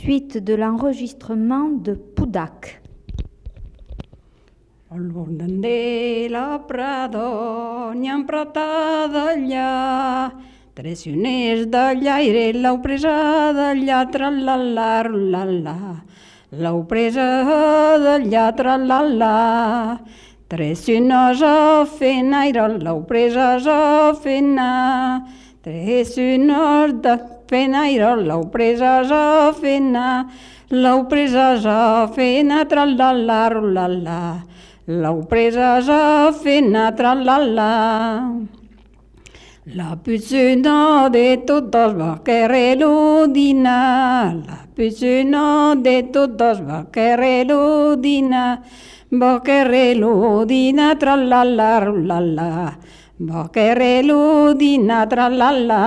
suite de l'enregistrement de Pudac. Al bord de la Prado n'hi ha emprata d'allà, tres sioners de llaire, l'heu presa d'allà, tra-la-la, ru-la-la. L'heu presa d'allà, tra-la-la. Tres sionors a feinaire, l'heu presa a feina. Tres sionors de feinaire, l'heu presa a feina. L'heu presa a feina, tra-la-la, ru-la-la. L'heu presa a feina, tra-la-la. La piscina de totes va querer l'udina, la piscina de totes va querer l'udina, va querer l'udina, tra-la-la, ru-la-la, va querer l'udina, tra-la-la.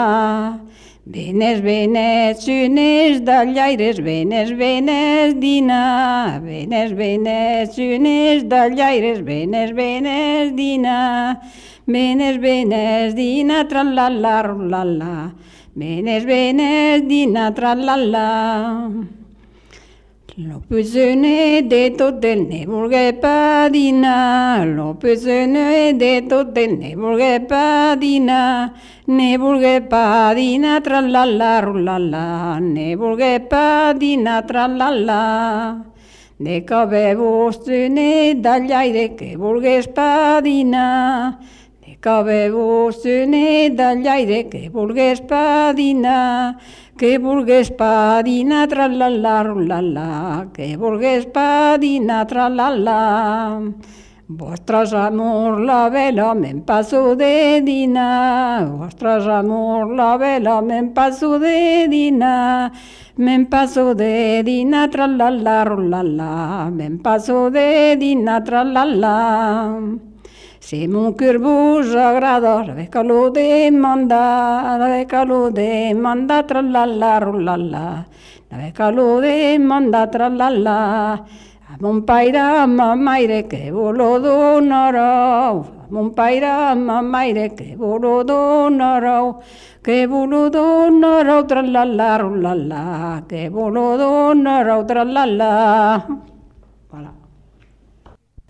Venes, venes, sioners de llaires, venes, venes, dina. Venes, venes, sioners de llaires, venes, venes, dina. Venes, venes, dina, tra-la-la, ru-la-la. Venes, venes, dina, tra-la-la. Lo piscine de tot el ne volgué pa dinar, lo piscine de tot el ne volgué pa dinar, ne volgué pa dinar, tra-la-la, ru-la-la, ne volgué pa dinar, tra-la-la. De que ve vostre de llaire que volgués pa dinar, de que ve vostre de llaire que volgués pa dinar, que volgués pa dinar, tra-la-la, ru-la-la, que volgués pa dinar, tra-la-la. Vostres amors la vela me'n passo de dinar, vostres amors la vela me'n passo de dinar, me'n passo de dinar, tra-la-la, ru-la-la, me'n passo de dinar, tra-la-la. Si mon cœur vos agrada, sabeu que lo demanda, sabeu que lo demanda, tra-la-la, ru-la-la, sabeu que lo demanda, tra-la-la. A mon paire, a ma maire, que vos lo donareu, a mon paire, a ma maire, que vos lo donareu, que vos lo donareu, tra-la-la, ru-la-la, que vos lo donareu, tra-la-la. Voilà.